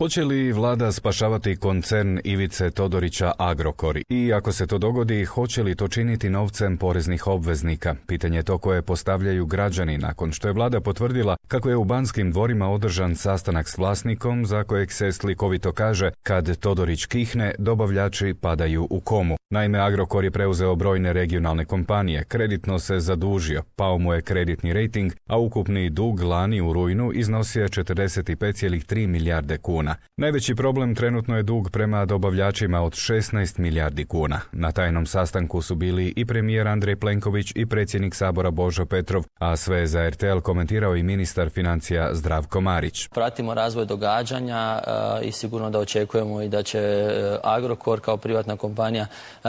Hoće li vlada spašavati koncern Ivice Todorića Agrokor? I ako se to dogodi, hoće li to činiti novcem poreznih obveznika? Pitanje je to koje postavljaju građani nakon što je vlada potvrdila kako je u Banskim dvorima održan sastanak s vlasnikom za kojeg se slikovito kaže kad Todorić kihne, dobavljači padaju u komu. Naime, Agrokor je preuzeo brojne regionalne kompanije, kreditno se zadužio, pao mu je kreditni rejting, a ukupni dug lani u rujnu iznosio je 45,3 milijarde kuna. Najveći problem trenutno je dug prema dobavljačima od 16 milijardi kuna. Na tajnom sastanku su bili i premijer Andrej Plenković i predsjednik Sabora Božo Petrov, a sve za RTL komentirao i ministar financija Zdravko Marić. Pratimo razvoj događanja i sigurno da očekujemo i da će Agrokor kao privatna kompanija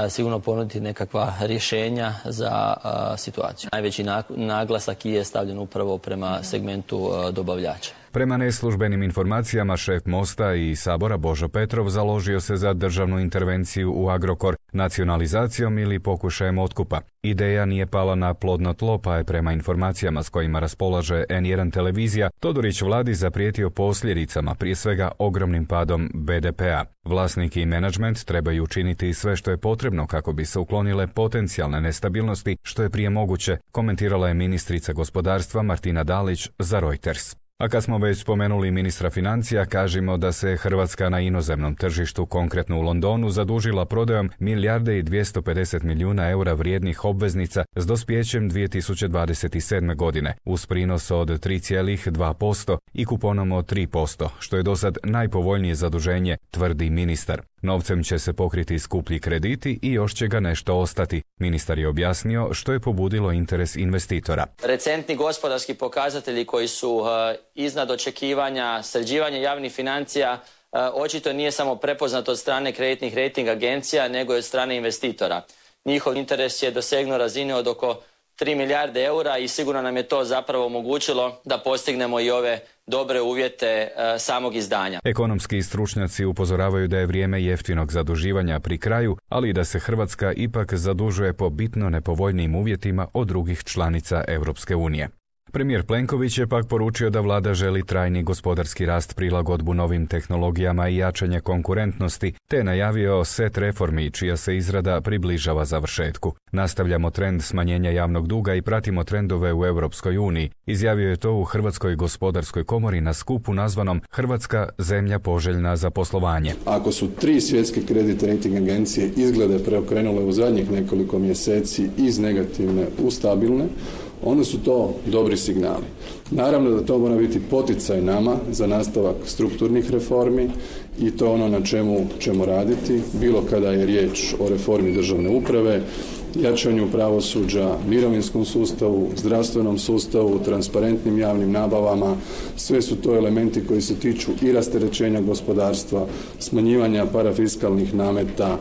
sigurno ponuditi nekakva rješenja za situaciju. Najveći naglasak je stavljen upravo prema segmentu dobavljača. Prema neslužbenim informacijama, šef Mosta i Sabora Božo Petrov založio se za državnu intervenciju u Agrokor nacionalizacijom ili pokušajem otkupa. Ideja nije pala na plodno tlo, pa je prema informacijama s kojima raspolaže N1 televizija Todorić vladi zaprijetio posljedicama, prije svega ogromnim padom BDP-a. Vlasnik i menadžment trebaju učiniti sve što je potrebno kako bi se uklonile potencijalne nestabilnosti što je prije moguće, komentirala je ministrica gospodarstva Martina Dalić za Reuters. A kad smo već spomenuli ministra financija, kažemo da se Hrvatska na inozemnom tržištu, konkretno u Londonu, zadužila prodajom $1,250 milijuna vrijednih obveznica s dospijećem 2027. godine, uz prinos od 3,2% i kuponom od 3%, što je dosad najpovoljnije zaduženje, tvrdi ministar. Novcem će se pokriti skuplji krediti i još će ga nešto ostati. Ministar je objasnio što je pobudilo interes investitora. Recentni gospodarski pokazatelji koji su iznad očekivanja, sređivanje javnih financija, očito nije samo prepoznato od strane kreditnih rejting agencija, nego i od strane investitora. Njihov interes je dosegnuo razine od oko 3 milijarde eura i sigurno nam je to zapravo omogućilo da postignemo i ove dobre uvjete samog izdanja. Ekonomski stručnjaci upozoravaju da je vrijeme jeftinog zaduživanja pri kraju, ali i da se Hrvatska ipak zadužuje po bitno nepovoljnijim uvjetima od drugih članica Europske unije. Premijer Plenković je pak poručio da vlada želi trajni gospodarski rast, prilagodbu novim tehnologijama i jačanje konkurentnosti, te najavio set reformi čija se izrada približava završetku. Nastavljamo trend smanjenja javnog duga i pratimo trendove u Europskoj uniji, izjavio je to u Hrvatskoj gospodarskoj komori na skupu nazvanom Hrvatska zemlja poželjna za poslovanje. Ako su 3 svjetske kreditne rejting agencije izglede preokrenule u zadnjih nekoliko mjeseci iz negativne u stabilne, onda su to dobri signali. Naravno da to mora biti poticaj nama za nastavak strukturnih reformi i to ono na čemu ćemo raditi, bilo kada je riječ o reformi državne uprave, jačanju pravosuđa, mirovinskom sustavu, zdravstvenom sustavu, transparentnim javnim nabavama. Sve su to elementi koji se tiču i rasterećenja gospodarstva, smanjivanja parafiskalnih nameta.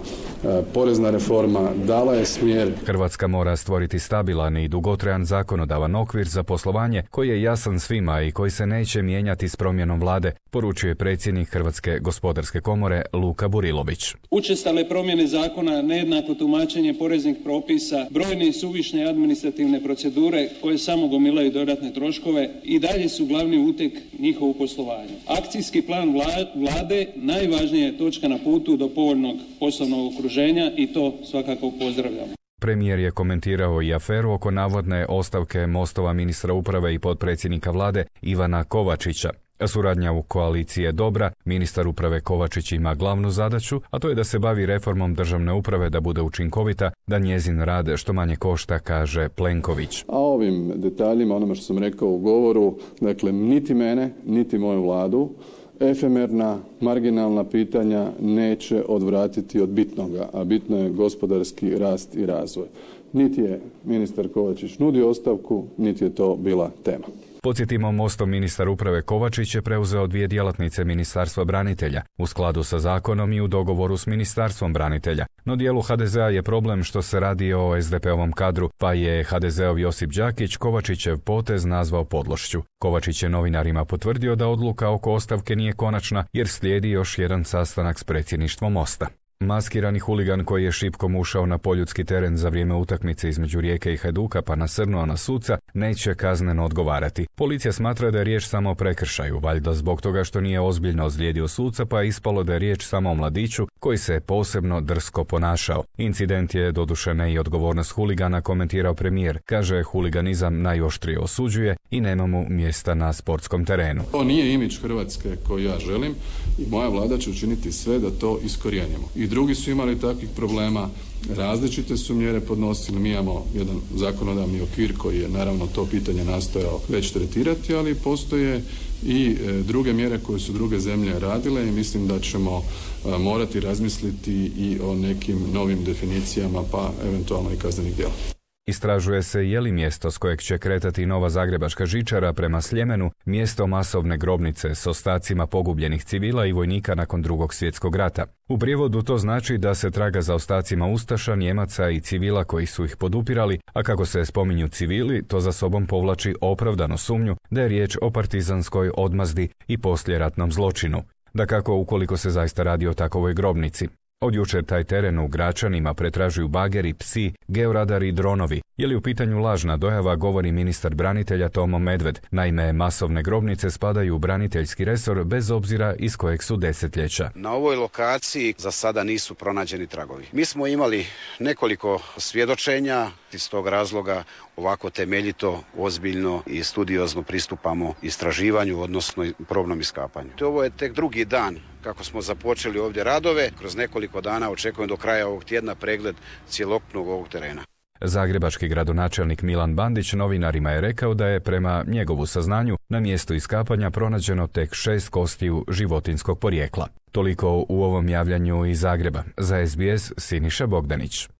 Porezna reforma dala je smjer. Hrvatska mora stvoriti stabilan i dugotrajan zakonodavan okvir za poslovanje koji je jasan svima i koji se neće mijenjati s promjenom vlade, poručuje predsjednik Hrvatske gospodarske komore Luka Burilović. Učestale promjene zakona, nejednako tumačenje poreznih propisa, brojne i suvišne administrativne procedure koje samo gomilaju dodatne troškove i dalje su glavni uteg njihovu poslovanju. Akcijski plan vlade najvažnija je točka na putu do povoljnog poslovnog okruženja i to svakako pozdravljamo. Premijer je komentirao i aferu oko navodne ostavke Mostova ministra uprave i potpredsjednika vlade Ivana Kovačića. Suradnja u koaliciji je dobra, ministar uprave Kovačić ima glavnu zadaću, a to je da se bavi reformom državne uprave da bude učinkovita, da njezin rad što manje košta, kaže Plenković. A ovim detaljima, onome što sam rekao u govoru, dakle, niti mene, niti moju vladu, efemerna, marginalna pitanja neće odvratiti od bitnoga, a bitno je gospodarski rast i razvoj. Niti je ministar Kovačić nudio ostavku, niti je to bila tema. Podsjetimo, Mostov ministar uprave Kovačić je preuzeo 2 djelatnice Ministarstva branitelja, u skladu sa zakonom i u dogovoru s Ministarstvom branitelja. No dijelu HDZ-a je problem što se radi o SDP-ovom kadru, pa je HDZ-ov Josip Đakić Kovačićev potez nazvao podlošću. Kovačić je novinarima potvrdio da odluka oko ostavke nije konačna jer slijedi još jedan sastanak s predsjedništvom Mosta. Maskirani huligan koji je šipkom ušao na poljudski teren za vrijeme utakmice između Rijeke i Hajduka pa nasrnuo na suca neće kazneno odgovarati. Policija smatra da je riječ samo o prekršaju, valjda zbog toga što nije ozbiljno ozlijedio suca, pa je ispalo da je riječ samo o mladiću koji se posebno drsko ponašao. Incident je doduše ne i odgovornost huligana, komentirao premijer. Kaže, huliganizam najoštrije osuđuje i nema mu mjesta na sportskom terenu. To nije imidž Hrvatske koji ja želim i moja vlada će učiniti sve da to iskorijenimo. I drugi su imali takvih problema, različite su mjere podnosili, mi imamo jedan zakonodavni okvir koji je naravno to pitanje nastojao već tretirati, ali postoje i druge mjere koje su druge zemlje radile i mislim da ćemo morati razmisliti i o nekim novim definicijama pa eventualno i kaznenih djela. Istražuje se je li mjesto s kojeg će kretati nova zagrebačka žičara prema Sljemenu mjesto masovne grobnice s ostacima pogubljenih civila i vojnika nakon Drugog svjetskog rata. U prijevodu to znači da se traga za ostacima ustaša, Njemaca i civila koji su ih podupirali, a kako se spominju civili, to za sobom povlači opravdanu sumnju da je riječ o partizanskoj odmazdi i poslijeratnom zločinu. Dakako, ukoliko se zaista radi o takovoj grobnici. Od jučer taj teren u Gračanima pretražuju bageri, psi, georadari i dronovi. Je li u pitanju lažna dojava, govori ministar branitelja Tomo Medved. Naime, masovne grobnice spadaju u braniteljski resor bez obzira iz kojeg su desetljeća. Na ovoj lokaciji za sada nisu pronađeni tragovi. Mi smo imali nekoliko svjedočenja, iz tog razloga ovako temeljito, ozbiljno i studiozno pristupamo istraživanju, odnosno probnom iskapanju. Ovo je tek drugi dan kako smo započeli ovdje radove. Kroz nekoliko dana očekujem do kraja ovog tjedna pregled cjelokupnog ovog terena. Zagrebački gradonačelnik Milan Bandić novinarima je rekao da je prema njegovu saznanju na mjestu iskapanja pronađeno tek 6 kostiju životinjskog porijekla. Toliko u ovom javljanju iz Zagreba. Za SBS Siniša Bogdanić.